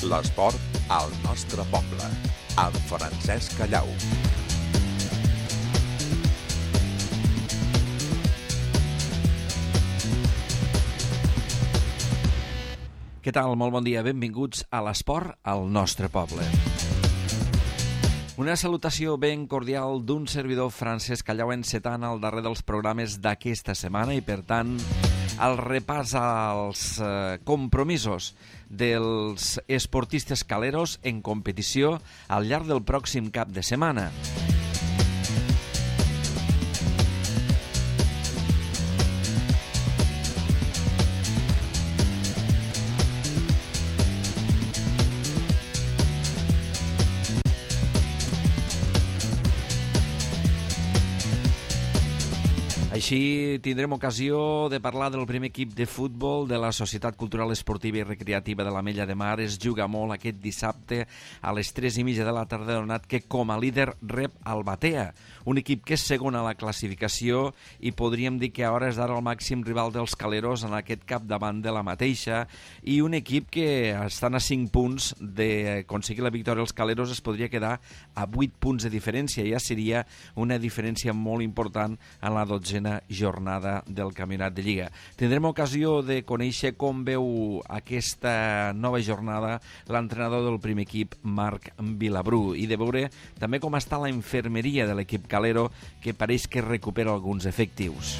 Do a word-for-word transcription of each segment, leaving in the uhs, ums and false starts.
L'esport al nostre poble, amb Francesc Callau. Què tal? Molt bon dia. Benvinguts a l'esport al nostre poble. Una salutació ben cordial d'un servidor, Francesc Callau, encetant al darrer dels programes d'aquesta setmana i, per tant, el repàs als eh, compromisos dels esportistes caleros en competició al llarg del pròxim cap de setmana. Així tindrem ocasió de parlar del primer equip de futbol de la Societat Cultural Esportiva i Recreativa de l'Ametlla de Mar. Es juga molt aquest dissabte a les tres i mitja de la tarda, donat que com a líder rep el Batea, un equip que és segon a la classificació i podríem dir que a hores d'ara el màxim rival dels caleros en aquest capdavant de la mateixa, i un equip que estan a cinc punts d'aconseguir la victòria. Els caleros es podria quedar a vuit punts de diferència, ja seria una diferència molt important en la dotzena jornada del Campionat de Lliga. Tindrem ocasió de conèixer com veu aquesta nova jornada l'entrenador del primer equip, Marc Vilabrú, i de veure també com està la infermeria de l'equip calero, que pareix que recupera alguns efectius.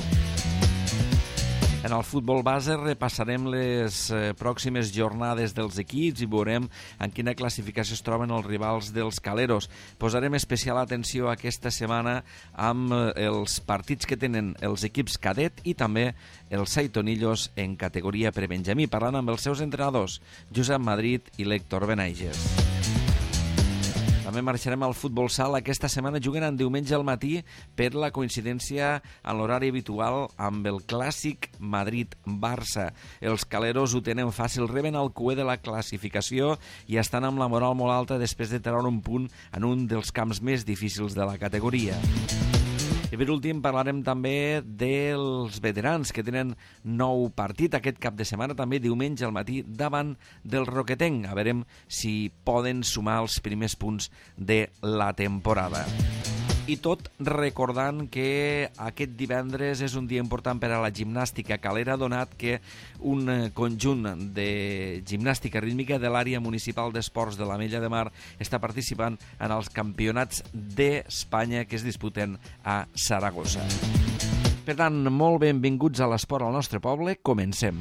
En el futbol base repassarem les eh, pròximes jornades dels equips i veurem en quina classificació es troben els rivals dels caleros. Posarem especial atenció aquesta setmana amb eh, els partits que tenen els equips cadet i també els Saitonillos en categoria prebenjamí, parlant amb els seus entrenadors, Josep Madrid i l'Héctor Benaiges. També marxarem al futbol sala. Aquesta setmana juguen en diumenge al matí per la coincidència en l'horari habitual amb el clàssic Madrid-Barça. Els caleros ho tenen fàcil, reben el cué de la classificació i estan amb la moral molt alta després de treure un punt en un dels camps més difícils de la categoria. I per últim parlarem també dels veterans, que tenen nou partit aquest cap de setmana, també diumenge al matí, davant del Roquetenc. A veurem si poden sumar els primers punts de la temporada. I tot recordant que aquest divendres és un dia important per a la gimnàstica calera, donat que un conjunt de gimnàstica rítmica de l'àrea municipal d'esports de l'Ametlla de Mar està participant en els campionats d'Espanya que es disputen a Saragossa. Per tant, molt benvinguts a l'esport al nostre poble. Comencem.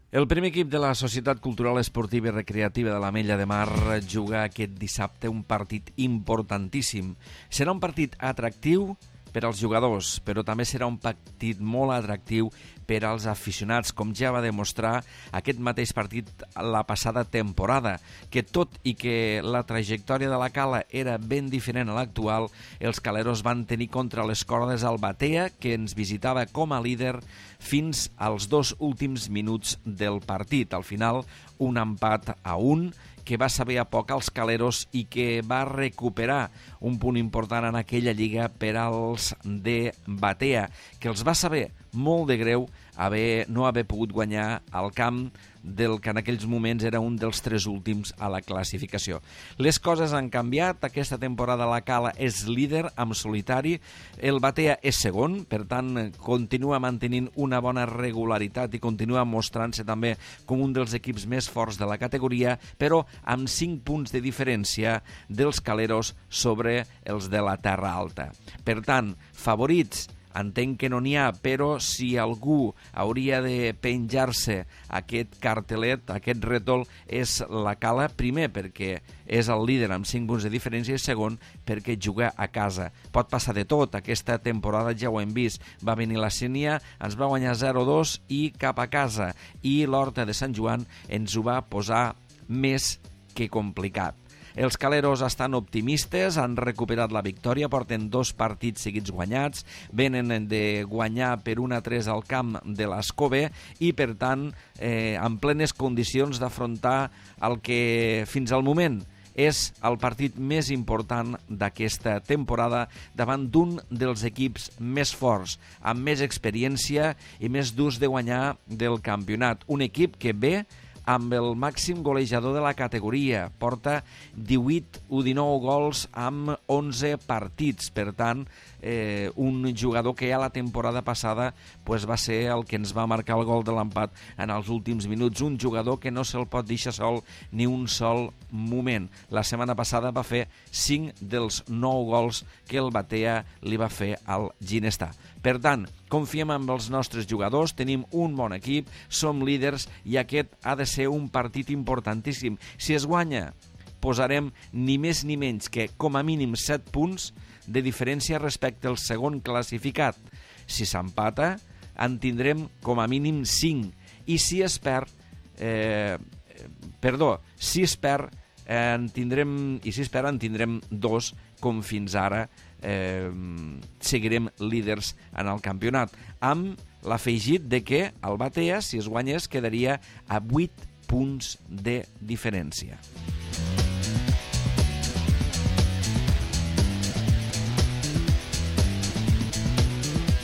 El primer equip de la Societat Cultural Esportiva i Recreativa de l'Ametlla de Mar juga aquest dissabte un partit importantíssim. Serà un partit atractiu per als jugadors, però també serà un partit molt atractiu per als aficionats, com ja va demostrar aquest mateix partit la passada temporada, que tot i que la trajectòria de la cala era ben diferent a l'actual, els caleros van tenir contra les cordes el Batea, que ens visitava com a líder fins als dos últims minuts del partit. Al final, un empat a un, que va saber a poc als caleros i que va recuperar un punt important en aquella lliga per als de Batea, que els va saber molt de greu haver, no haver pogut guanyar al camp del que en aquells moments era un dels tres últims a la classificació. Les coses han canviat. Aquesta temporada la Cala és líder en solitari, el Batea és segon, per tant continua mantenint una bona regularitat i continua mostrant-se també com un dels equips més forts de la categoria, però amb cinc punts de diferència dels caleros sobre els de la Terra Alta. Per tant, favorits entenc que no n'hi ha, però si algú hauria de penjar-se aquest cartelet, aquest rètol, és la Cala, primer perquè és el líder amb cinc punts de diferència i segon perquè juga a casa. Pot passar de tot, aquesta temporada ja ho hem vist, va venir la Sénia, ens va guanyar zero a dos i cap a casa, i l'Horta de Sant Joan ens ho va posar més que complicat. Els caleros estan optimistes, han recuperat la victòria, porten dos partits seguits guanyats, venen de guanyar per un a tres al camp de l'Escove i, per tant, eh, en plenes condicions d'afrontar el que fins al moment És el partit més important d'aquesta temporada davant d'un dels equips més forts, amb més experiència i més durs de guanyar del campionat. Un equip que ve amb el màxim golejador de la categoria. Porta divuit o dinou gols amb onze partits. Per tant, eh, un jugador que ja la temporada passada pues, va ser el que ens va marcar el gol de l'empat en els últims minuts. Un jugador que no se'l pot deixar sol ni un sol moment. La setmana passada va fer cinc dels nou gols que el Batea li va fer al Ginestar. Per tant, confiem en els nostres jugadors, tenim un bon equip, som líders i aquest ha de ser un partit importantíssim. Si es guanya, posarem ni més ni menys que com a mínim set punts de diferència respecte al segon classificat. Si s'empata, en tindrem com a mínim cinc. I si es perd, eh, perdó, si es perd, eh, en tindrem, i si es perd en tindrem dos, com fins ara, eh, seguirem líders en el campionat, amb l'afegit de que el Batea, si es guanyés, quedaria a vuit punts de diferència.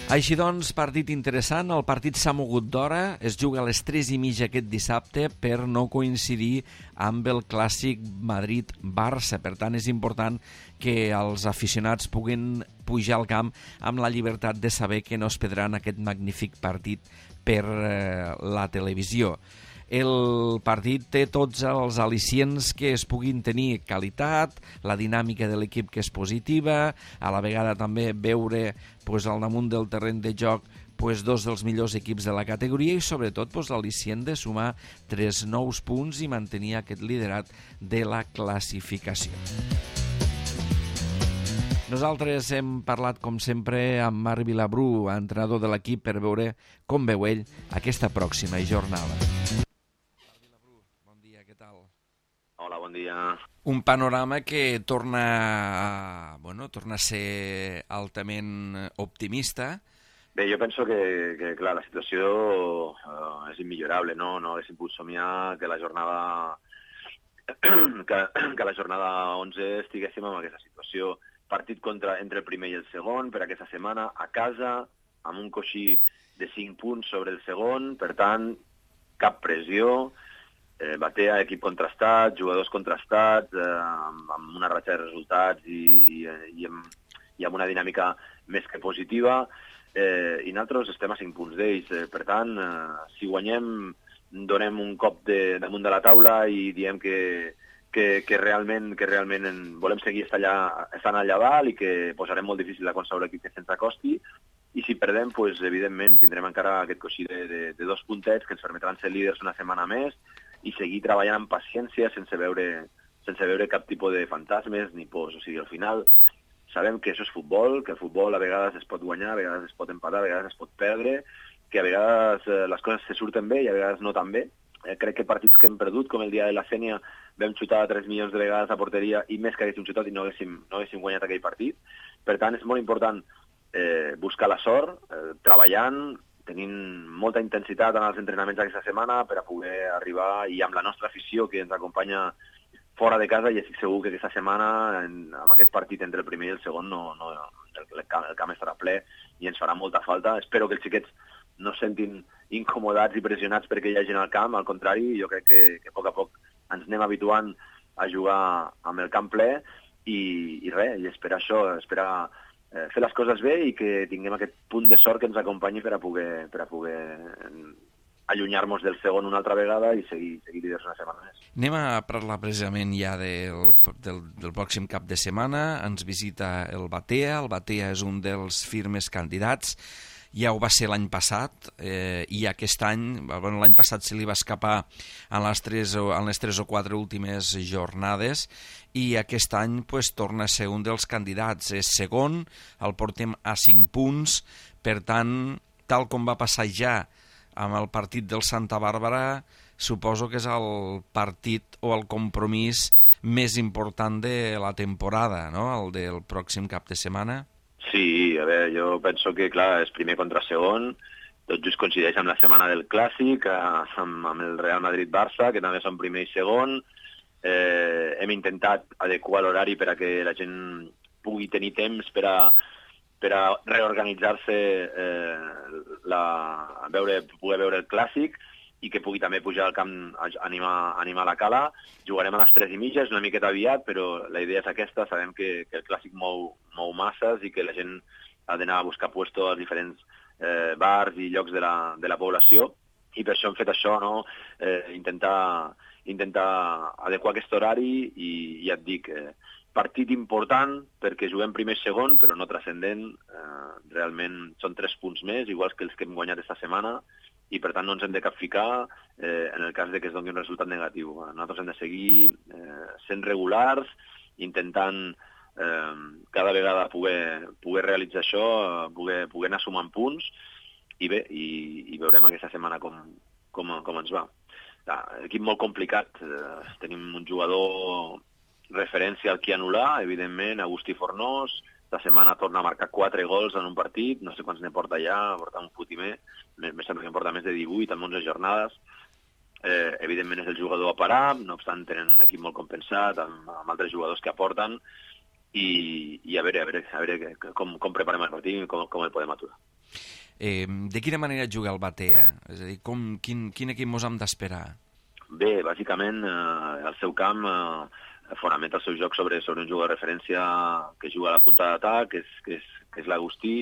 Així doncs, partit interessant, el partit s'ha mogut d'hora, es juga a les tres i mitja aquest dissabte per no coincidir amb el clàssic Madrid-Barça. Per tant, és important que els aficionats puguin pujar al camp amb la llibertat de saber que no es perdran aquest magnífic partit per eh, la televisió. El partit té tots els al·licients que es puguin tenir: qualitat, la dinàmica de l'equip que és positiva, a la vegada també veure pues, al damunt del terreny de joc pues, dos dels millors equips de la categoria i sobretot pues, l'al·licient de sumar tres nous punts i mantenir aquest liderat de la classificació. Nosaltres hem parlat, com sempre, amb Marc Vilabrú, entrenador de l'equip, per veure com veu ell aquesta pròxima jornada. Hola, bon dia. Un panorama que torna a, bueno, torna a ser altament optimista. Bé, jo penso que, que clar, la situació uh, és immillorable, no? No haguéssim pogut somiar que la jornada que, que la jornada onze estiguéssim en aquesta situació. Partit contra, entre el primer i el segon per aquesta setmana, a casa, amb un coixí de cinc punts sobre el segon, per tant, cap pressió. Eh, Batea, equip contrastat, jugadors contrastats, eh, amb, amb una ratxa de resultats i, i, i, amb, i amb una dinàmica més que positiva, eh, i nosaltres estem a cinc punts d'ells. Eh, per tant, eh, si guanyem, donem un cop de, damunt de la taula i diem que, que, que realment, que realment en, volem seguir estar allà, estant allà dalt i que posarem molt difícil a qualsevol equip que se'ns acosti. I si perdem, pues, evidentment, tindrem encara aquest coixí de, de, de dos puntets que ens permetran ser líders una setmana més i seguir treballant amb paciència sense veure, sense veure cap tipus de fantasmes ni pors. O sigui, al final sabem que això és futbol, que el futbol a vegades es pot guanyar, a vegades es pot empatar, a vegades es pot perdre, que a vegades eh, les coses se surten bé i a vegades no tan bé. Eh, crec que partits que hem perdut, com el dia de la Sènia, vam xutar tres milions de vegades a porteria i més que haguéssim xutat i no haguéssim, no haguéssim guanyat aquell partit. Per tant, és molt important eh, buscar la sort, eh, treballant, tenint molta intensitat en els entrenaments d'aquesta setmana per a poder arribar, i amb la nostra afició que ens acompanya fora de casa, i estic segur que aquesta setmana, en, amb aquest partit entre el primer i el segon, no, no, el, el, camp, el camp estarà ple i ens farà molta falta. Espero que els xiquets no es sentin incomodats i pressionats perquè hi ha gent al camp, al contrari, jo crec que, que a poc a poc ens anem habituant a jugar amb el camp ple i, i res, i esperar això, esperar fer les coses bé i que tinguem aquest punt de sort que ens acompanyi per a poder, per a poder allunyar-nos del segon una altra vegada i seguir, seguir líders una setmana més. Anem a parlar precisament ja del, del, del pròxim cap de setmana. Ens visita el Batea. El Batea és un dels firmes candidats. Ja ho va ser l'any passat, eh, i aquest any, bueno, l'any passat se li va escapar en les, tres, en les tres o quatre últimes jornades, i aquest any pues, torna a ser un dels candidats. És segon, el portem a cinc punts, per tant, tal com va passar ja amb el partit del Santa Bàrbara, suposo que és el partit o el compromís més important de la temporada, no?, el del pròxim cap de setmana. Sí, a veure, jo penso que, clar, és primer contra segon, tot just coincideix amb la setmana del Clàssic, amb, amb el Real Madrid-Barça, que també són primer i segon. eh, hem intentat adequar l'horari per a que la gent pugui tenir temps per a, per a reorganitzar-se, eh, la, a veure, poder veure el clàssic, i que pugui també pujar al camp a animar, animar la cala. Jugarem a les tres i mitja, és una miqueta aviat, però la idea és aquesta. Sabem que, que el clàssic mou, mou masses i que la gent ha d'anar a buscar puesto als diferents eh, bars i llocs de la, de la població, i per això hem fet això, no? eh, intentar, intentar adequar aquest horari, i ja et dic, eh, partit important perquè juguem primer i segon, però no transcendent. Eh, realment són tres punts més, iguals que els que hem guanyat esta setmana, i per tant no ens hem de capficar eh, en el cas de que es doni un resultat negatiu. Nosaltres hem de seguir eh, sent regulars, intentant eh, cada vegada poder, poder realitzar això, poder, poder anar sumant punts, i bé, i, i veurem aquesta setmana com, com, com ens va. Un equip molt complicat, eh, tenim un jugador referència al qui anul·lar, evidentment, Agustí Fornós. La setmana torna a marcar quatre gols en un partit, no sé quants ne porta ja, porta un fotimer, me sembla que en porta més de divuit en onze jornades. Eh, evidentment és el jugador a parar, no obstant tenen un equip molt compensat, amb, amb altres jugadors que aporten, i, i a veure, a veure, a veure com, com preparem el partit i com, com el podem aturar. Eh, de quina manera juga el Batea? És a dir, com, quin, quin equip mos hem d'esperar? Bé, bàsicament, eh, el seu camp eh, fonamenta el seu joc sobre, sobre un jugador de referència que juga a la punta d'atac, que és, que és, que és l'Agustí,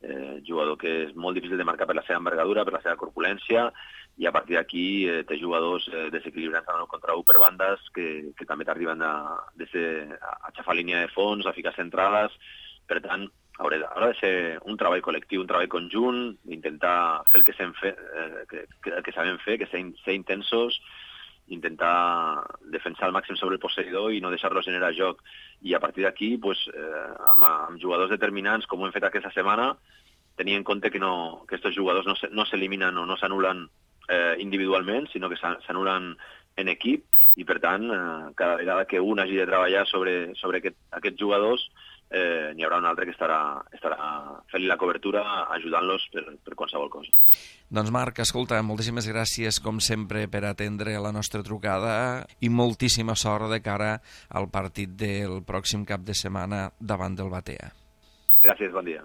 eh, jugador que és molt difícil de marcar per la seva envergadura, per la seva corpulència, i a partir d'aquí eh, té jugadors eh, desequilibrants en el contra u per bandes que, que també t'arriben a, de ser, a xafar línia de fons, a ficar centrades. Per tant, haurà de, haurà de ser un treball col·lectiu, un treball conjunt, intentar fer el que, fe, eh, que, que, que sabem fer, que ser, ser intensos, intentar defensar al màxim sobre el posseïdor i no deixar-lo generar joc. I a partir d'aquí, pues, eh, amb, amb jugadors determinants, com ho hem fet aquesta setmana, tenir en compte que, no, que aquests jugadors no, se, no s'eliminen o no s'anulen eh, individualment, sinó que s'anulen en equip, i per tant, eh, cada vegada que un hagi de treballar sobre, sobre aquest, aquests jugadors, eh, n'hi haurà un altre que estarà, estarà fent la cobertura, ajudant-los per, per qualsevol cosa. Doncs Marc, escolta, moltíssimes gràcies com sempre per atendre la nostra trucada i moltíssima sort de cara al partit del pròxim cap de setmana davant del Batea. Gràcies, bon dia.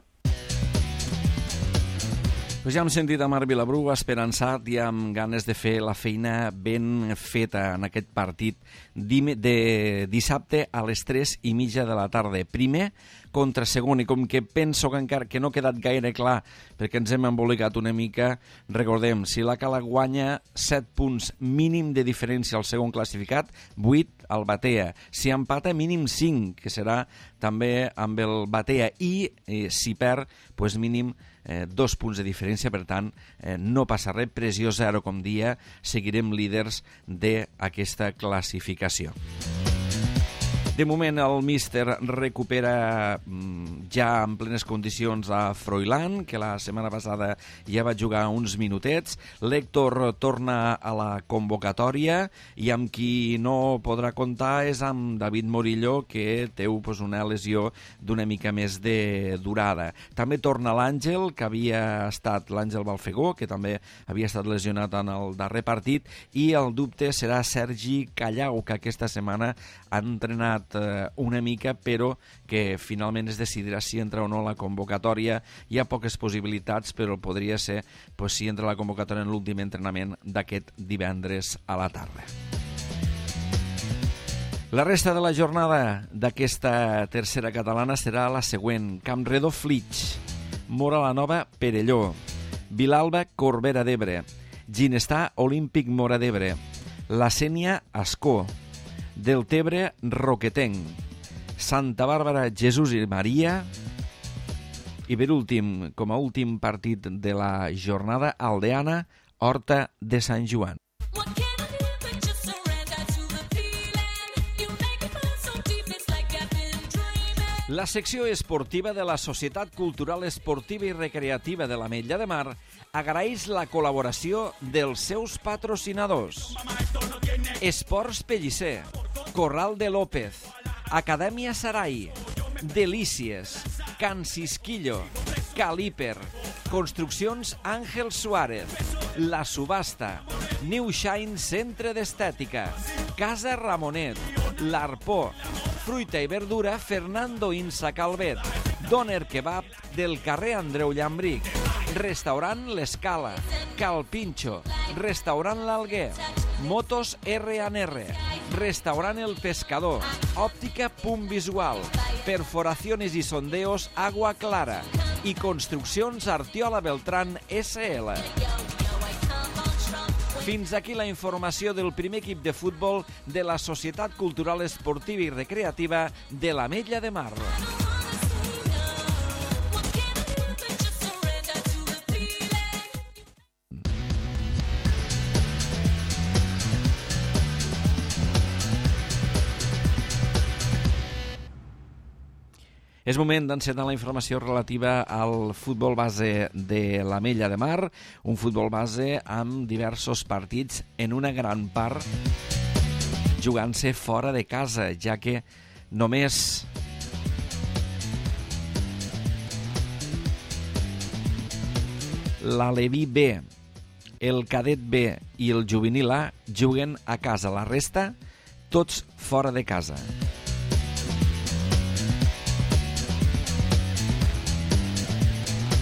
Pues ja hem sentit a Marc Vilabrú esperançat i amb ganes de fer la feina ben feta en aquest partit de dissabte a les tres i mitja de la tarda. Primer contra segon, i com que penso que encara que no ha quedat gaire clar perquè ens hem embolicat una mica, recordem, si la Cala guanya set punts mínim de diferència al segon classificat, vuit al Batea. Si empata, mínim cinc, que serà també amb el Batea, i eh, si perd, pues mínim eh, dos punts de diferència. Per tant, eh, no passa res, pressió zero, com dia, seguirem líders d'aquesta classificació. De moment el míster recupera ja en plenes condicions a Froilán, que la setmana passada ja va jugar uns minutets. L'Héctor torna a la convocatòria i amb qui no podrà comptar és amb David Morillo, que té pues, una lesió d'una mica més de durada. També torna l'Àngel, que havia estat l'Àngel Balfegó, que també havia estat lesionat en el darrer partit, i el dubte serà Sergi Callau, que aquesta setmana ha entrenat una mica, però que finalment es decidirà si entra o no la convocatòria. Hi ha poques possibilitats, però podria ser pues, si entra la convocatòria en l'últim entrenament d'aquest divendres a la tarda. La resta de la jornada d'aquesta tercera catalana serà la següent. Campredó Flix, Móra la Nova Perelló, Vilalba Corbera d'Ebre, Ginestà Olímpic Móra d'Ebre, La Sénia Ascó, Deltebre Roquetenc, Santa Bàrbara Jesús i Maria, i per últim, com a últim partit de la jornada, Aldeana Horta de Sant Joan. La secció esportiva de la Societat Cultural Esportiva i Recreativa de l'Ametlla de Mar agraeix la col·laboració dels seus patrocinadors. Esports Pellicer, Corral de López, Acadèmia Sarai, Delícies, Can Cisquillo, Caliper, Construccions Àngel Suárez, La Subhasta, New Shine Centre d'Estètica, Casa Ramonet, l'Arpó, Fruita i Verdura Fernando Insa Calvet, Doner Kebab del carrer Andreu Llambric, Restaurant L'Escala, Cal Pinxo, Restaurant L'Alguer, Motos R and R, Restaurant El Pescador, Òptica Punt Visual, Perforaciones y Sondeos Agua Clara i Construccions Artiola Beltrán S L. Fins aquí la informació del primer equip de futbol de la Societat Cultural Esportiva i Recreativa de l'Ametlla de Mar. És moment d'encetar la informació relativa al futbol base de l'Ametlla de Mar, un futbol base amb diversos partits, en una gran part jugant-se fora de casa, ja que només l'Aleví B, el Cadet B i el Juvenil A juguen a casa. La resta, tots fora de casa.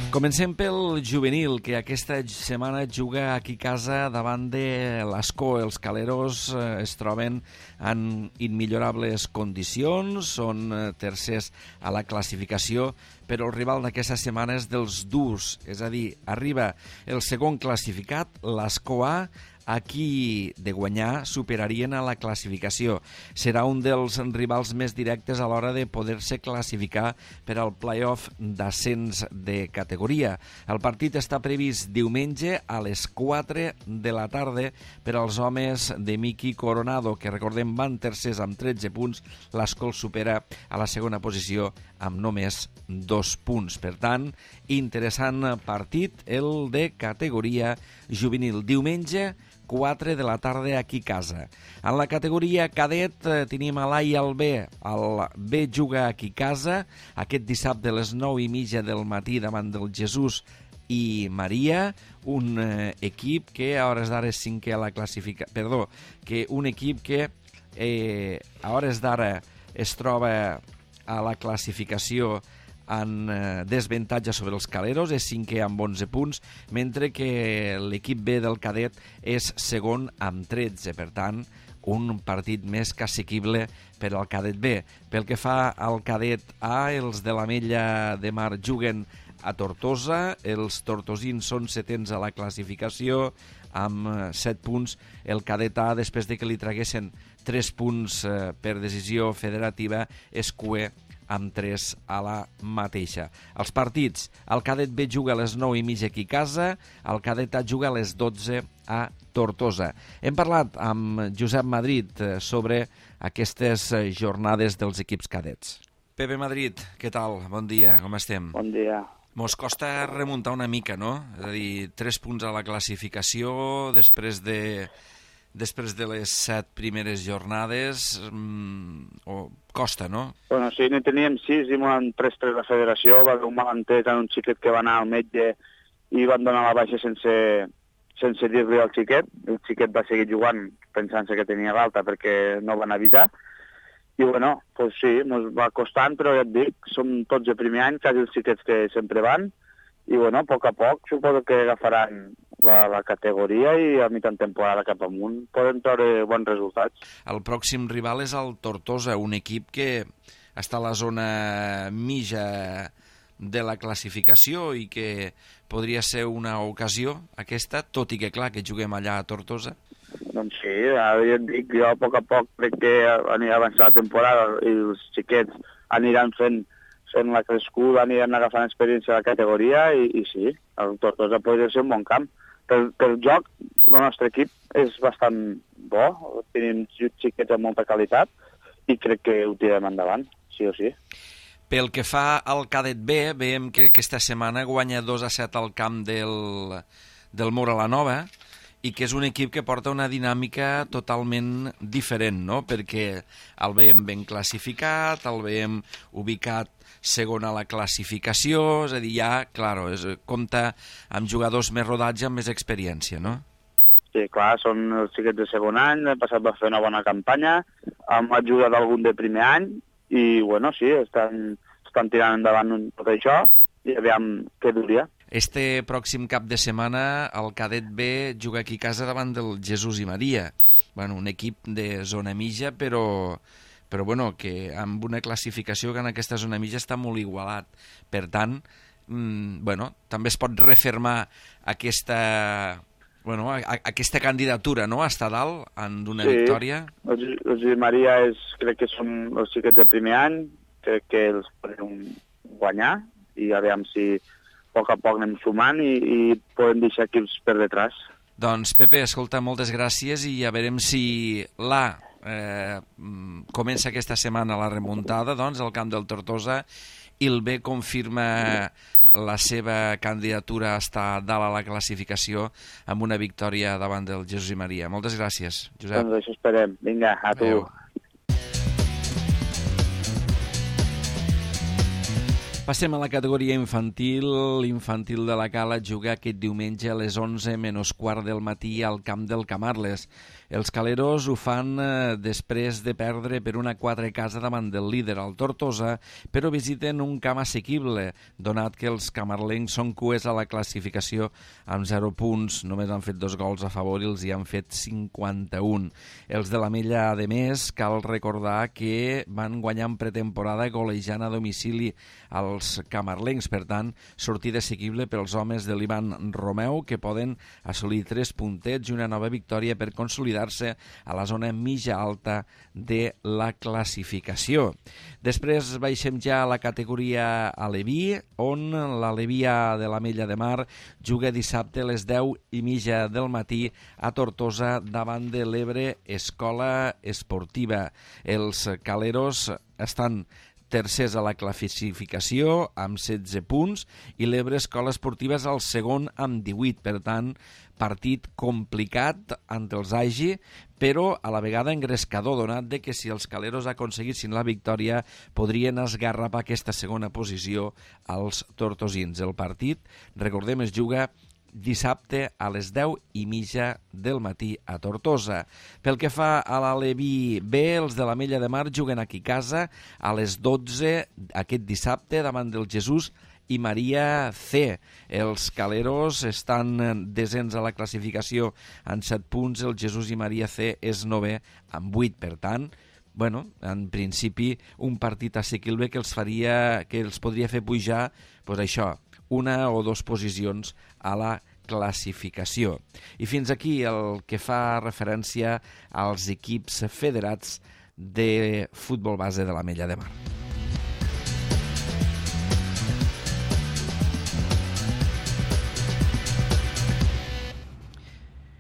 Comencem pel juvenil, que aquesta setmana juga aquí a casa davant de l'Escó. Els caleros es troben en immillorables condicions, són tercers a la classificació, però el rival d'aquesta setmana és dels durs, és a dir, arriba el segon classificat, l'Escó A. Aquí, de guanyar, superarien a la classificació. Serà un dels rivals més directes a l'hora de poder-se classificar per al play-off d'ascens de categoria. El partit està previst diumenge a les quatre de la tarda per als homes de Miki Coronado, que recordem van tercers amb tretze punts. l'Escó supera a la segona posició amb només dos punts. Per tant, interessant partit el de categoria juvenil. Diumenge, quatre de la tarda aquí a casa. En la categoria cadet eh, tenim a l'A i el B. El B juga aquí a casa aquest dissabte a les nou i mitja del matí davant del Jesús i Maria, un eh, equip que a hores d'ara és cinquè a la classificació. Perdó, que un equip que eh, a hores d'ara es troba a la classificació en desavantatge sobre els caleros, és cinquè amb onze punts, mentre que l'equip B del cadet és segon amb tretze. Per tant, un partit més que assequible per al cadet B. Pel que fa al cadet A, els de l'Ametlla de Mar juguen a Tortosa, els tortosins són setens a la classificació amb set punts. El cadet A, després de que li traguessin tres punts per decisió federativa, és cuer amb tres a la mateixa. Els partits, el cadet B juga a les nou i mitja aquí a casa, el cadet A juga a les dotze a Tortosa. Hem parlat amb Josep Madrid sobre aquestes jornades dels equips cadets. Pepe Madrid, què tal? Bon dia, com estem? Bon dia. Mos costa remuntar una mica, no? És a dir, tres punts a la classificació després de... després de les set primeres jornades, mmm, o costa, no? Bueno, sí, ne teníem sis i m'ho han pres tres la federació, va haver un malentès en un xiquet que va anar al metge i van donar la baixa sense, sense dir-li al xiquet. El xiquet va seguir jugant pensant-se que tenia l'alta perquè no van avisar. I bueno, pues sí, ens va costant, però ja et dic, som tots de primer any, quasi els xiquets que sempre van, i bueno, a poc a poc suposo que agafaran la, la categoria i a mitjan temporada cap amunt poden treure bons resultats. El pròxim rival és el Tortosa, un equip que està a la zona mitja de la classificació i que podria ser una ocasió aquesta, tot i que clar que juguem allà a Tortosa. Doncs sí, ara ja et dic, jo a poc a poc crec que anirà avançant la temporada i els xiquets aniran fent fent la crescuda, aniran agafant experiència de la categoria i, i sí, el Tortosa podria ser un bon camp. Pel, pel joc, el nostre equip és bastant bo, tenim xiquets amb molta qualitat i crec que ho tirem endavant, sí o sí. Pel que fa al cadet B, veiem que aquesta setmana guanya dos a set al camp del, del Mora la Nova i que és un equip que porta una dinàmica totalment diferent, no? Perquè el veiem ben classificat, el veiem ubicat segon a la classificació, és a dir, ja, claro, és, compta amb jugadors més rodats i amb més experiència, no? Sí, clar, són els xiquets de segon any, l'any passat va fer una bona campanya, hem ajudat algun de primer any, i, bueno, sí, estan, estan tirant endavant tot això, i aviam què duria. Este pròxim cap de setmana el cadet B juga aquí a casa davant del Jesús i Maria. Bueno, un equip de zona mitja, però, però bueno, que amb una classificació que en aquesta zona mitja està molt igualat. Per tant, mmm, bueno, també es pot refermar aquesta... Bueno, a, a, aquesta candidatura, no?, a estar dalt en una sí, victòria. Els, els i Maria és, crec que són els xiquets de primer any, crec que els podem guanyar, i aviam si a poc a poc anem sumant i, i podem deixar equips per detrás. Doncs, Pepe, escolta, moltes gràcies i ja veurem si l'A eh, comença aquesta setmana la remuntada, doncs, al camp del Tortosa, i el B confirma la seva candidatura a estar dalt a la classificació amb una victòria davant del Jesús i Maria. Moltes gràcies, Josep. Doncs això esperem. Vinga, a tu. Adéu. Passem a la categoria infantil. L'infantil de la Cala juga aquest diumenge a les onze menys quart del matí al camp del Camarles. Els caleros ho fan eh, després de perdre per una quatre casa davant del líder, el Tortosa, però visiten un camp assequible, donat que els camarlencs són cues a la classificació amb zero punts. Només han fet dos gols a favor i els hi han fet cinquanta-un. Els de l'Ametlla, a més, cal recordar que van guanyar en pretemporada golejant a domicili als camarlencs. Per tant, sortida assequible pels homes de l'Ivan Romeu, que poden assolir tres puntets i una nova victòria per consolidar a la zona mitja alta de la classificació. Després baixem ja a la categoria Aleví, on l'Alevia de l'Ametlla de Mar juga dissabte a les deu i mitja del matí a Tortosa davant de l'Ebre Escola Esportiva. Els caleros estan tercers a la classificació amb setze punts i l'Ebre Escola Esportiva és el segon amb divuit. Per tant, partit complicat ante els Agi, però a la vegada engrescador, donat de que si els caleros aconseguissin la victòria podrien esgarrapar aquesta segona posició als tortosins. El partit, recordem, es juga dissabte a les deu i mitja del matí a Tortosa. Pel que fa a l'Aleví B, els de l'Ametlla de Mar juguen aquí a casa a les dotze aquest dissabte davant del Jesús i Maria C. Els caleros estan desens a la classificació amb set punts, el Jesús i Maria C és novè amb vuit. Per tant, bueno, en principi, un partit assequible que els faria, que els podria fer pujar, doncs això, una o dues posicions a la classificació. I fins aquí el que fa referència als equips federats de futbol base de l'Ametlla de Mar.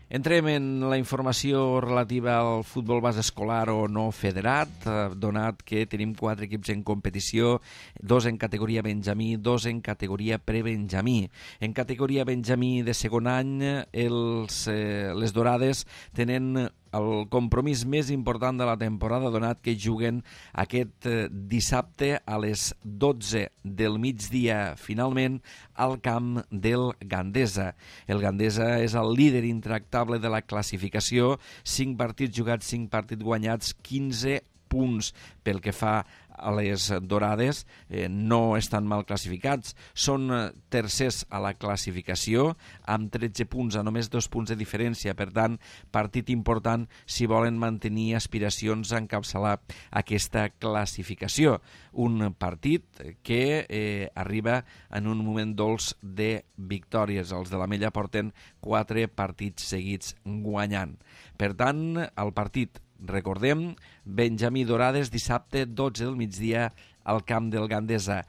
Entrem en la informació relativa al futbol base escolar o no federat, donat que tenim quatre equips en competició, dos en categoria Benjamí, dos en categoria prebenjamí. En categoria Benjamí de segon any, els, eh, les Dorades tenen el compromís més important de la temporada, donat que juguen aquest dissabte a les dotze del migdia, finalment, al camp del Gandesa. El Gandesa és el líder intractable de la classificació, cinc partits jugats, cinc partits guanyats, quinze punts. Pel que fa a les Dorades, eh, no estan mal classificats, són tercers a la classificació amb tretze punts, a només dos punts de diferència. Per tant, partit important si volen mantenir aspiracions a encapçalar aquesta classificació. Un partit que eh, arriba en un moment dolç de victòries. Els de l'Ametlla porten quatre partits seguits guanyant. Per tant, el partit, recordem, Benjamí Dorades, dissabte dotze del migdia al camp del Gandesa,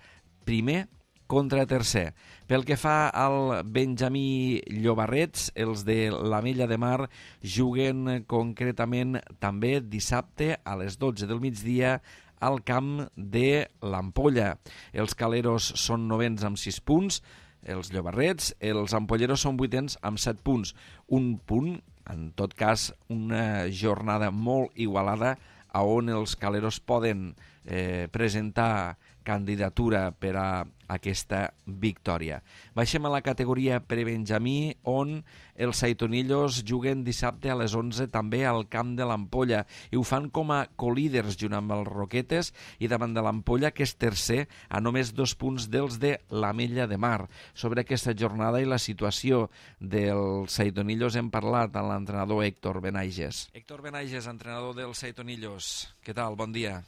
primer contra tercer. Pel que fa al Benjamí Llobarrets, els de l'Ametlla de Mar juguen concretament també dissabte a les dotze del migdia al camp de l'Ampolla. Els caleros són novens amb sis punts, els Llobarrets, els ampolleros són vuitens amb set punts. Un punt, en tot cas, una jornada molt igualada a on els caleros poden eh, presentar candidatura per a aquesta victòria. Baixem a la categoria prebenjamí, on els Saitonillos juguen dissabte a les onze també al camp de l'Ampolla i ho fan com a colíders junt amb els Roquetes i davant de l'Ampolla, que és tercer a només dos punts dels de l'Ametlla de Mar. Sobre aquesta jornada i la situació dels Saitonillos hem parlat amb l'entrenador Héctor Benaiges. Héctor Benaiges, entrenador dels Saitonillos. Què tal? Bon dia.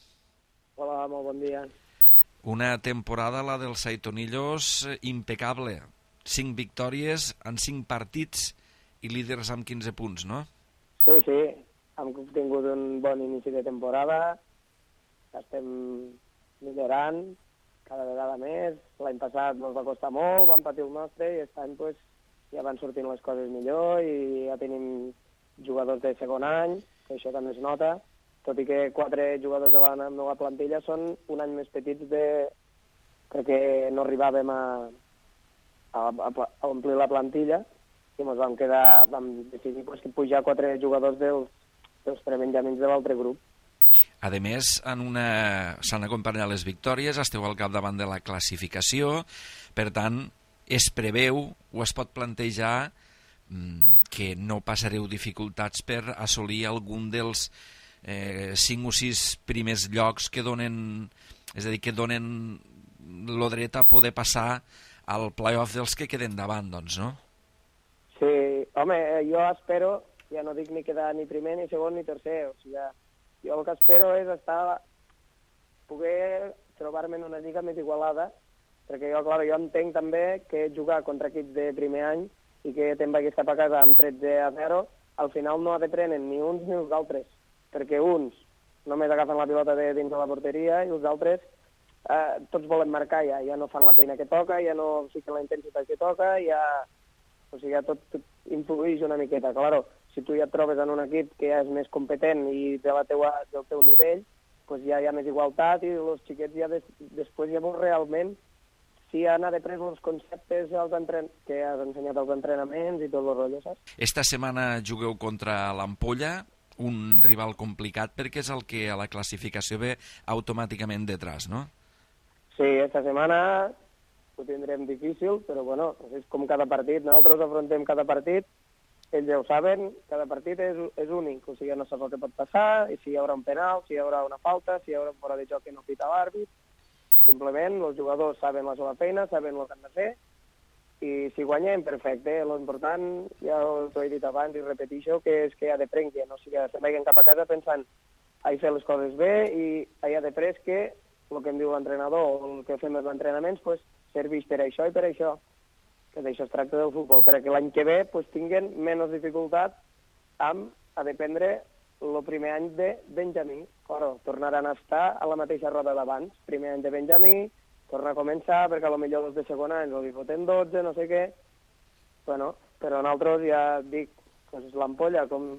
Hola, molt bon dia. Una temporada, la dels Saitonillos, impecable. Cinc victòries en cinc partits i líders amb quinze punts, no? Sí, sí. Hem tingut un bon inici de temporada. Estem millorant cada vegada més. L'any passat ens va costar molt, vam patir el nostre i aquest any pues, ja van sortint les coses millor i ja tenim jugadors de segon any, que això també es nota. Tot i que quatre jugadors de la meva plantilla són un any més petits de... perquè no arribàvem a, a, a omplir la plantilla i ens vam quedar, vam decidir pues, pujar quatre jugadors dels, dels prebenjamins de l'altre grup. A més, en una... s'han acompanyat les victòries, esteu al capdavant de la classificació, per tant, es preveu o es pot plantejar mmm, que no passareu dificultats per assolir algun dels Eh, cinc o sis primers llocs que donen, és a dir, que donen lo dret a poder passar al play-off dels que queden davant, doncs, no? Sí, home, jo espero, ja no dic ni quedar ni primer, ni segon, ni tercer, o sigui, jo el que espero és estar, poder trobar-me en una lliga més igualada, perquè jo, clar, jo entenc també que jugar contra equips de primer any i que te'n vagis cap a casa amb tretze a zero, al final no ha de prenen ni uns ni els altres, perquè uns només agafen la pilota de dins de la porteria i els altres eh, tots volen marcar ja, ja no fan la feina que toca, ja no fiquen la intensitat que toca, ja, o sigui, ja tot, tot influeix una miqueta. Claro, si tu ja et trobes en un equip que ja és més competent i de la teua, del teu nivell, pues ja hi ha més igualtat i els xiquets ja des, després ja veus realment si han après els conceptes els entren... que has ensenyat als entrenaments i tot el rotllo, saps? Esta setmana jugueu contra l'Ampolla, un rival complicat perquè és el que a la classificació ve automàticament detrás, no? Sí, esta setmana ho tindrem difícil, però bueno, és com cada partit, nosaltres afrontem cada partit, ells ja ho saben, cada partit és, és únic, o sigui, no saps el que pot passar, i si hi haurà un penal, si hi haurà una falta, si hi haurà un fora de joc que no pita l'àrbit, simplement els jugadors saben la seva feina, saben el que han de fer, i si guanyem, perfecte. L'important, ja t'ho he dit abans i repeteixo, que és que ha de prendre, no? O sigui, se'n vagin cap a casa pensant a fer les coses bé i ha de pres que el que em diu l'entrenador o el que fem els entrenaments pues, serveix per això i per això, que d'això es tracta del futbol, perquè l'any que ve pues, tinguin menys dificultat amb a dependre el primer any de Benjamí. Claro, tornaran a estar a la mateixa roda d'abans, primer any de Benjamí, torna a començar, perquè potser els de segon any els hi foten dotze, no sé què. Bueno, però nosaltres ja dic, doncs l'Ampolla com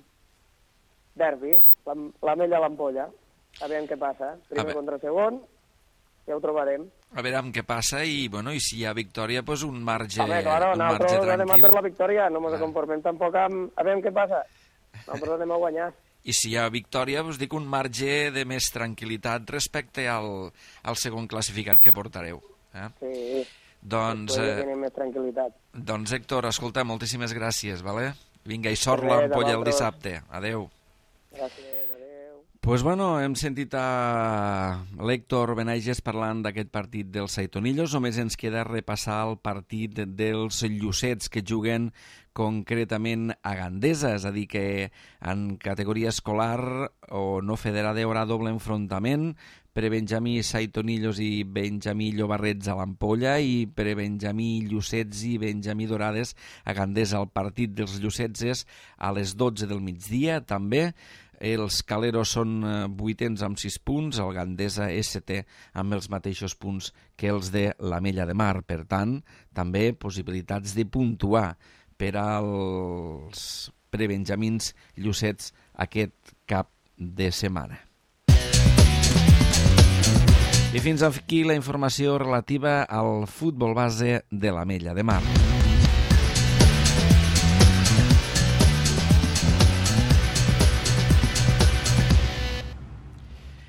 derbi, l'Ametlla a l'Ampolla. A veure què passa. Primer contra segon, ja ho trobarem. A veure què passa i, bueno, i si hi ha victòria, doncs un marge, Home, claro, un marge nosaltres anem a tranquil. per la victòria, no ens conformem tampoc amb... A veure què passa. Nosaltres anem a guanyar. I si hi ha victòria, us dic un marge de més tranquil·litat respecte al, al segon classificat que portareu. Eh? Sí, doncs, després ja eh, tenim més tranquil·litat. doncs Héctor, escolta, moltíssimes gràcies, vale? Vinga, i sort Res, l'Ampolla el vosaltres. dissabte. Adeu. Gràcies, adéu. Pues bueno, hem sentit a l'Héctor Benaiges parlant d'aquest partit dels Saitonillos. Només ens queda repassar el partit dels Llucets, que juguen concretament a Gandesa, és a dir que en categoria escolar o no federada hi haurà doble enfrontament, prebenjamí Saitonillos i benjamí Llobarrets a l'Ampolla i prebenjamí Llucets i benjamí Dorades a Gandesa. El partit dels Llucets és a les dotze del migdia, també. Els Caleros són vuitens amb sis punts, el Gandesa és setè amb els mateixos punts que els de l'Ametlla de Mar. Per tant, també possibilitats de puntuar per als prebenjamins Llucets aquest cap de setmana. I fins aquí la informació relativa al futbol base de l'Ametlla de Mar.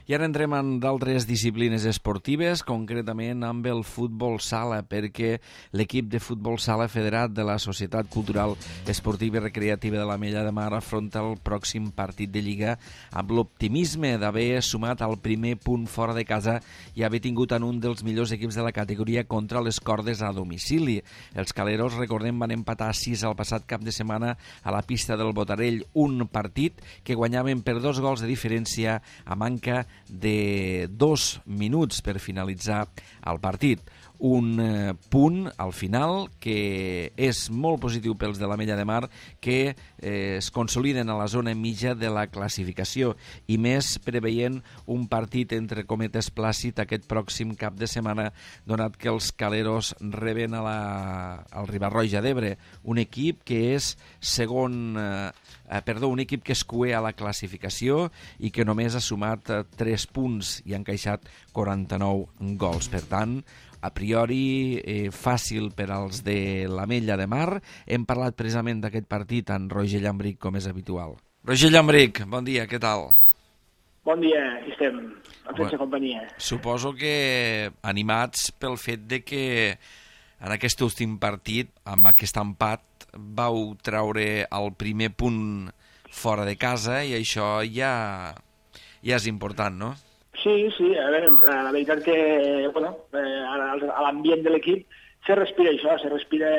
I ara entrem en d'altres disciplines esportives, concretament amb el futbol sala, perquè l'equip de futbol sala federat de la Societat Cultural Esportiva i Recreativa de l'Ametlla de Mar afronta el pròxim partit de Lliga amb l'optimisme d'haver sumat el primer punt fora de casa i haver tingut en un dels millors equips de la categoria contra les cordes a domicili. Els caleros, recordem, van empatar a sis el passat cap de setmana a la pista del Botarell, un partit que guanyaven per dos gols de diferència a manca de dos minuts per finalitzar el partit. Un eh, punt al final que és molt positiu pels de l'Ametlla de Mar, que eh, es consoliden a la zona mitja de la classificació, i més preveient un partit entre cometes plàcid aquest pròxim cap de setmana, donat que els caleros reben a la, al Riba-roja d'Ebre, un equip que és segon... Eh, Eh, perdó, un equip que es cué a la classificació i que només ha sumat eh, tres punts i ha encaixat quaranta-nou gols. Per tant, a priori eh, fàcil per als de l'Ametlla de Mar. Hem parlat precisament d'aquest partit amb Roger Llambric, com és habitual. Roger Llambric, bon dia, què tal? Bon dia, aquí estem, en sense companyia. Suposo que animats pel fet de que en aquest últim partit, amb aquest empat, vau treure el primer punt fora de casa i això ja, ja és important, no? Sí, sí, a veure, la veritat que, bueno, eh, a l'ambient de l'equip se respira això, se respira,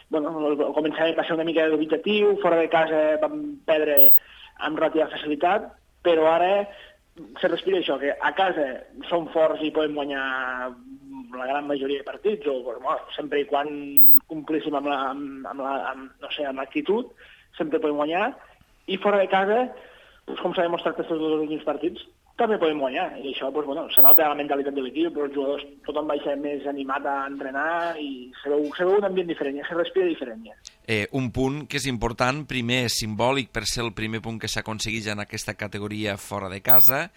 bueno, començàvem a ser una mica dubitatiu, fora de casa vam perdre amb relativa facilitat, però ara se respira això, que a casa som forts i podem guanyar la gran majoria de partits, o bueno, sempre i quan complíssim amb la, amb, amb la, amb, no sé, amb l'actitud, sempre podem guanyar, i fora de casa, doncs, com s'ha demostrat aquests dos últims partits, també podem guanyar, i això, doncs, bueno, se nota la mentalitat de l'equip, però els jugadors tothom va ser més animat a entrenar i se veu, se veu un ambient diferent, ja se respira diferent. Ja. Eh, un punt que és important, primer simbòlic per ser el primer punt que s'aconsegueix en aquesta categoria fora de casa,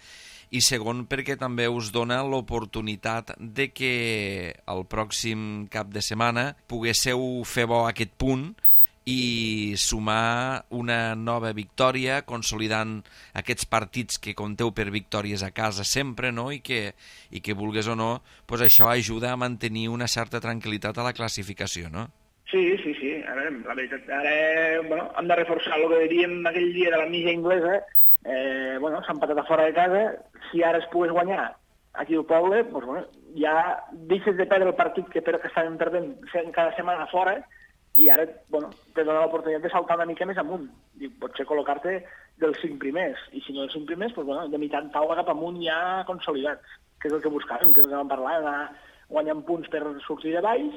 i segon perquè també us dona l'oportunitat de que el pròxim cap de setmana poguésseu fer bo aquest punt i sumar una nova victòria, consolidant aquests partits que compteu per victòries a casa sempre, no? I que, i que vulgues o no, pues això ajuda a mantenir una certa tranquil·litat a la classificació, no? Sí, sí, sí. A veure, la veritat, ara bueno, hem de reforçar el que diríem aquell dia de la mitja inglesa. Eh, bueno, s'ha empatat a fora de casa. Si ara es pogués guanyar aquí al poble, doncs, bueno, ja deixes de perdre el partit que, que estàvem perdent cada setmana fora, i ara, bueno, te dona l'oportunitat de saltar una mica més amunt. I potser col·locar-te dels cinc primers. I si no dels cinc primers, doncs, bueno, de meitat taula cap amunt ja consolidats, que és el que buscàvem, que és el que vam parlar, anar guanyant punts per sortir de baix,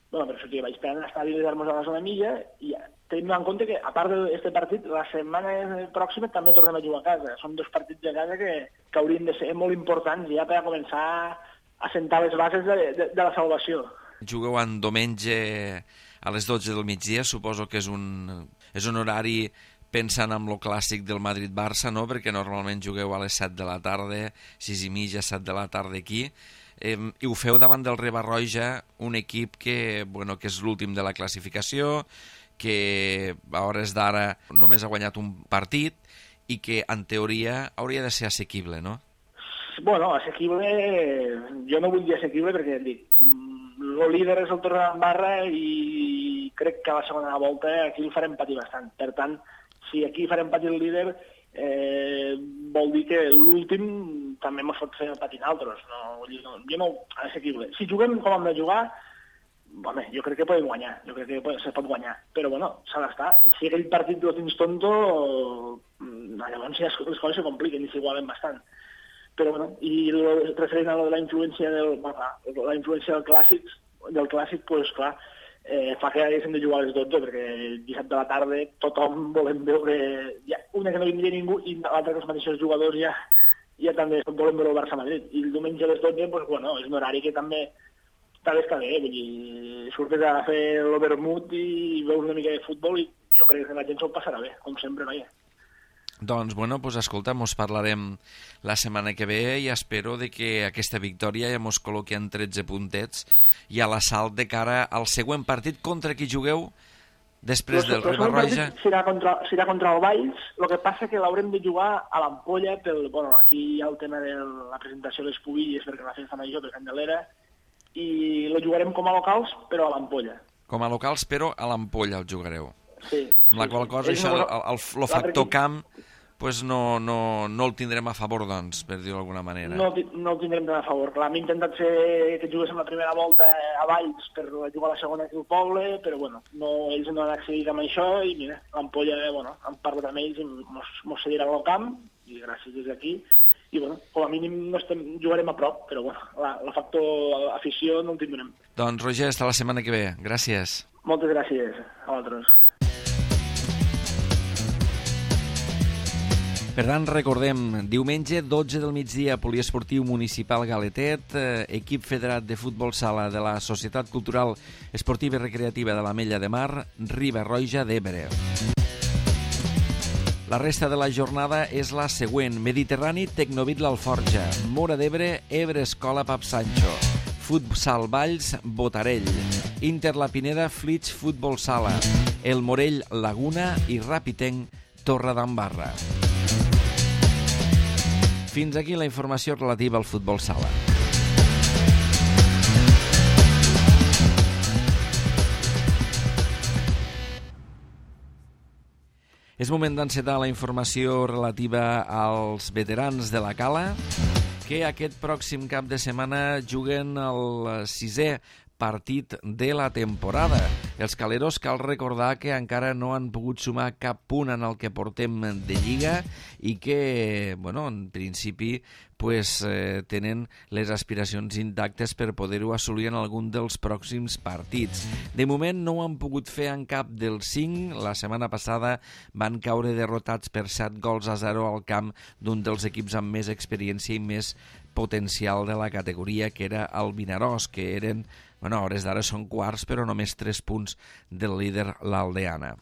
bueno, per sortir de baix, per estar a nos a la zona mitja, i ja. Tenim en compte que, a part d'aquest partit, la setmana pròxima també tornem a jugar a casa. Són dos partits de casa que, que haurien de ser molt importants ja per a començar a sentar les bases de, de, de la salvació. Jugueu en diumenge a les dotze del migdia, suposo que és un, és un horari pensant en lo clàssic del Madrid-Barça, no? Perquè normalment jugueu a les set de la tarda, sis i mitja, set de la tarda aquí. Eh, i ho feu davant del Riba-roja, un equip que, bueno, que és l'últim de la classificació, que a hores d'ara només ha guanyat un partit i que, en teoria, hauria de ser assequible, no? Bueno, assequible... Jo no vull dir assequible perquè, dic, el líder és el Torredembarra i crec que a la segona volta aquí el farem patir bastant. Per tant, si aquí farem patir el líder, eh, vol dir que l'últim també ens pot fer patir altres. No, vull dir, no, jo no... Assequible. Si juguem com hem de jugar, home, jo crec que podem guanyar, jo crec que se pot guanyar, però bueno, s'ha d'estar. Si aquell partit lo tens tonto, llavors ja les coses se compliquen i s'igualen bastant. Però bueno, i referent a la influència del, la influència del clàssic, del clàssic, pues clar, eh, fa que haguéssim de jugar a les dotze, perquè dissabte a la tarda tothom volem veure, ja, una que no vindria ningú i l'altra que els mateixos jugadors ja, ja també volem veure el Barça-Madrid. I el diumenge a les dotze, pues, bueno, és un horari que també també està bé, vull dir, surtes a fer l'overmut i veus una mica de futbol i jo crec que la gent s'ho passarà bé, com sempre, noia. Doncs, bueno, pues, escolta, mos parlarem la setmana que ve i espero de que aquesta victòria ja mos col·loqui en tretze puntets i a l'assalt de cara al següent partit contra qui jugueu després del Riba-roja. Serà contra, serà contra el Valls, el que passa que l'haurem de jugar a l'Ampolla, pel, bueno, aquí hi ha el tema de la presentació de les pubilles perquè la festa major per Candelera, i la jugarem com a locals, però a l'Ampolla. Com a locals, però a l'Ampolla el jugareu. Sí. Amb la sí, qual sí. cosa, això, el, el, el, el factor camp, pues no, no, no el tindrem a favor, doncs, per dir-ho d'alguna manera. No, no el tindrem tan a favor. Clar, hem intentat fer que juguéssim la primera volta a Valls per jugar la segona aquí al poble, però bueno, no, ells no han accedit amb això i mira, l'Ampolla, bueno, han parlat amb ells i mos, mos cediran al camp, i gràcies des d'aquí, i bueno, com a mínim no estem, jugarem a prop, però bueno, la, el factor afició no el tindrem. Doncs Roger, hasta la setmana que ve. Gràcies. Moltes gràcies a vosaltres. Per tant, recordem, diumenge, dotze del migdia, Poliesportiu Municipal Galetet, eh, equip federat de futbol sala de la Societat Cultural Esportiva i Recreativa de l'Ametlla de Mar, Riba-roja d'Ebre. La resta de la jornada és la següent: Mediterrani, Tecnovit l'Alforja, Móra d'Ebre, Ebre Escola Pap Sancho, Futsal Valls, Botarell, Inter La Pineda, Flix Futbol Sala, El Morell, Laguna i Ràpitenc, Torredembarra. Fins aquí la informació relativa al futbol sala. És moment d'encetar la informació relativa als veterans de la Cala, que aquest pròxim cap de setmana juguen el sisè partit de la temporada. Els caleros cal recordar que encara no han pogut sumar cap punt en el que portem de Lliga i que, bueno, en principi pues, eh, tenen les aspiracions intactes per poder-ho assolir en algun dels pròxims partits. De moment no ho han pogut fer en cap dels cinc. La setmana passada van caure derrotats per set gols a zero al camp d'un dels equips amb més experiència i més potencial de la categoria, que era el Vinaròs, que eren, bueno, a hores d'ara són quarts, però només tres punts del líder, l'Aldeana.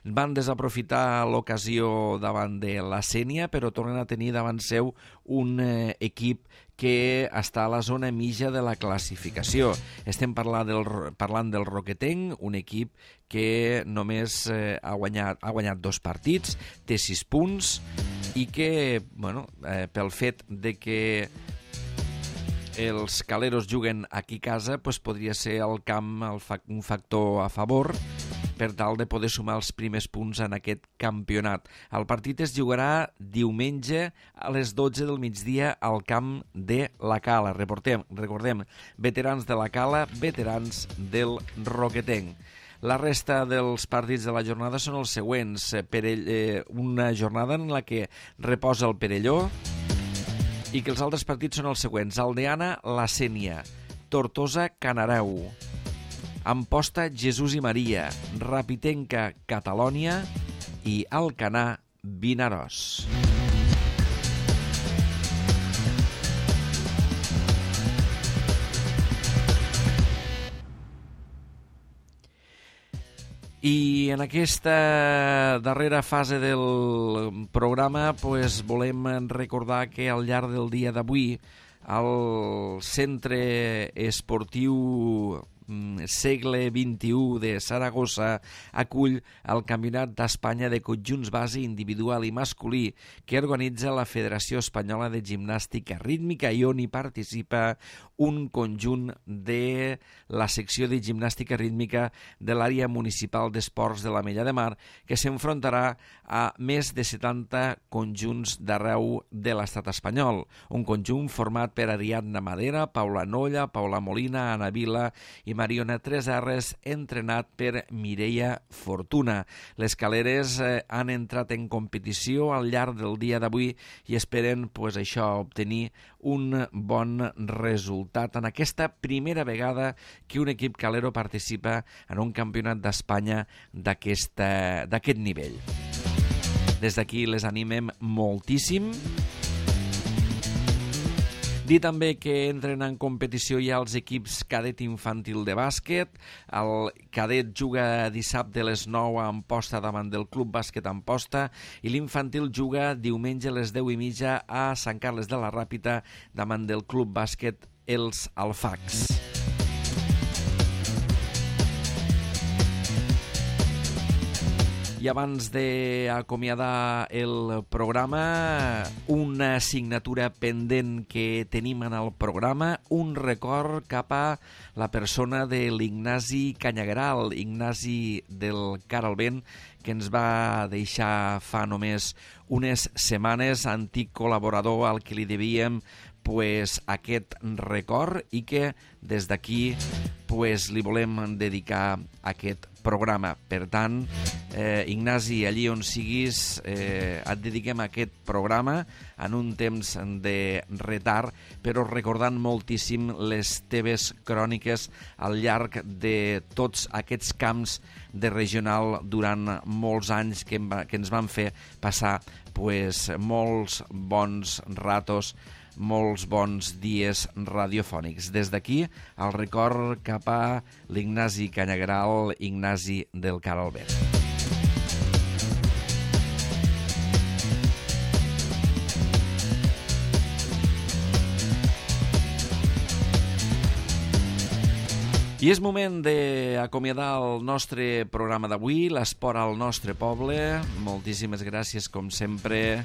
Van desaprofitar l'ocasió davant de la Sénia, però tornen a tenir davant seu un eh, equip que està a la zona mitja de la classificació. Estem parlant del, parlant del Roquetenc, un equip que només eh, ha, guanyat, ha guanyat dos partits, té sis punts, i que, bueno, eh, pel fet de que els caleros juguen aquí a casa, pues podria ser el camp el fa un factor a favor per tal de poder sumar els primers punts en aquest campionat. El partit es jugarà diumenge a les dotze del migdia al camp de la Cala. Reportem, recordem, veterans de la Cala, veterans del Roquetenc. La resta dels partits de la jornada són els següents. Perell, eh, una jornada en la que reposa el Perelló i que els altres partits són els següents: Aldeana, la Sénia, Tortosa, Canareu, Amposta, Jesús i Maria, Ràpitenca, Catalònia i Alcanar, Vinaròs. I en aquesta darrera fase del programa pues, volem recordar que al llarg del dia d'avui el Centre Esportiu Segle vint-i-u de Saragossa acull el Campionat d'Espanya de conjunts base individual i masculí que organitza la Federació Espanyola de Gimnàstica Rítmica i on hi participa un conjunt de la secció de gimnàstica rítmica de l'àrea municipal d'esports de l'Ametlla de Mar, que s'enfrontarà a més de setanta conjunts d'arreu de l'estat espanyol. Un conjunt format per Ariadna Madera, Paula Nolla, Paula Molina, Ana Vila i Mariona Tresarres, entrenat per Mireia Fortuna. Les caleres eh, han entrat en competició al llarg del dia d'avui i esperen pues, això, obtenir un bon resultat en aquesta primera vegada que un equip calero participa en un campionat d'Espanya d'aquest nivell. Des d'aquí les animem moltíssim. Dir també que entren en competició ja els equips cadet infantil de bàsquet. El cadet juga dissabte a les nou a Amposta davant del Club Bàsquet Amposta i l'infantil juga diumenge a les deu i mitja a Sant Carles de la Ràpita davant del Club Bàsquet Els Alfacs. I abans d'acomiadar el programa, una assignatura pendent que tenim en el programa, un record cap a la persona de l'Ignasi Canyagueral, Ignasi del Caralbent, que ens va deixar fa només unes setmanes, antic col·laborador al que li devíem pues, aquest record i que des d'aquí pues, li volem dedicar aquest programa. Per tant, eh, Ignasi, allí on siguis, eh, et dediquem aquest programa en un temps de retard, però recordant moltíssim les teves cròniques al llarg de tots aquests camps de regional durant molts anys que, que ens van fer passar pues, molts bons ratos, molts bons dies radiofònics. Des d'aquí, el record cap a l'Ignasi Canyagueral, Ignasi del Caralbent. I és moment d'acomiadar el nostre programa d'avui, l'esport al nostre poble. Moltíssimes gràcies, com sempre,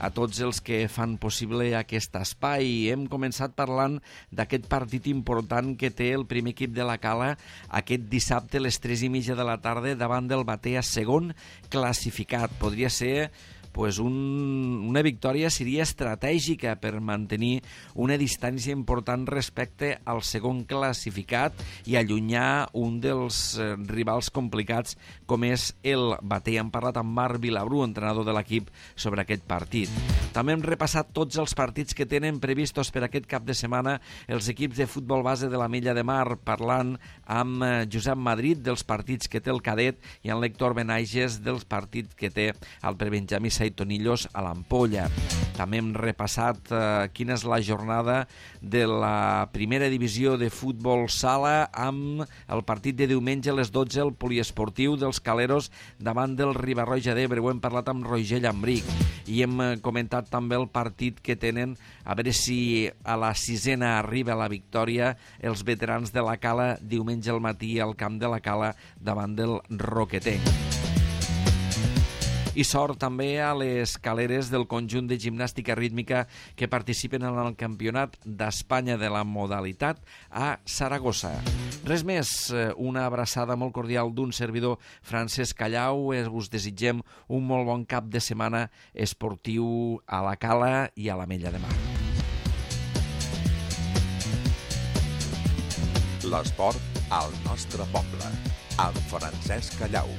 a tots els que fan possible aquest espai. Hem començat parlant d'aquest partit important que té el primer equip de la Cala aquest dissabte a les tres i mitja de la tarda davant del Batea, segon classificat. Podria ser pues un, una victòria seria estratègica per mantenir una distància important respecte al segon classificat i allunyar un dels eh, rivals complicats com és el Batea. Hem parlat amb Marc Vilabrú, entrenador de l'equip, sobre aquest partit. També hem repassat tots els partits que tenen previstos per aquest cap de setmana els equips de futbol base de la Mella de Mar, parlant amb Josep Madrid dels partits que té el cadet i amb l'Héctor Benaiges dels partits que té el prebenjamí Saitonillos a l'Ampolla. També hem repassat eh, quina és la jornada de la primera divisió de futbol sala amb el partit de diumenge a les dotze, el poliesportiu dels Caleros davant del Riba-roja d'Ebre. Ho hem parlat amb Roger Llambric i hem comentat també el partit que tenen, a veure si a la sisena arriba la victòria, els veterans de la Cala diumenge al matí al camp de la Cala davant del Roquetenc. I sort també a les caleres del conjunt de gimnàstica rítmica que participen en el Campionat d'Espanya de la modalitat a Saragossa. Res més, una abraçada molt cordial d'un servidor, Francesc Callau. Us desitgem un molt bon cap de setmana esportiu a la Cala i a la Mella de Mar. L'esport al nostre poble, amb Francesc Callau.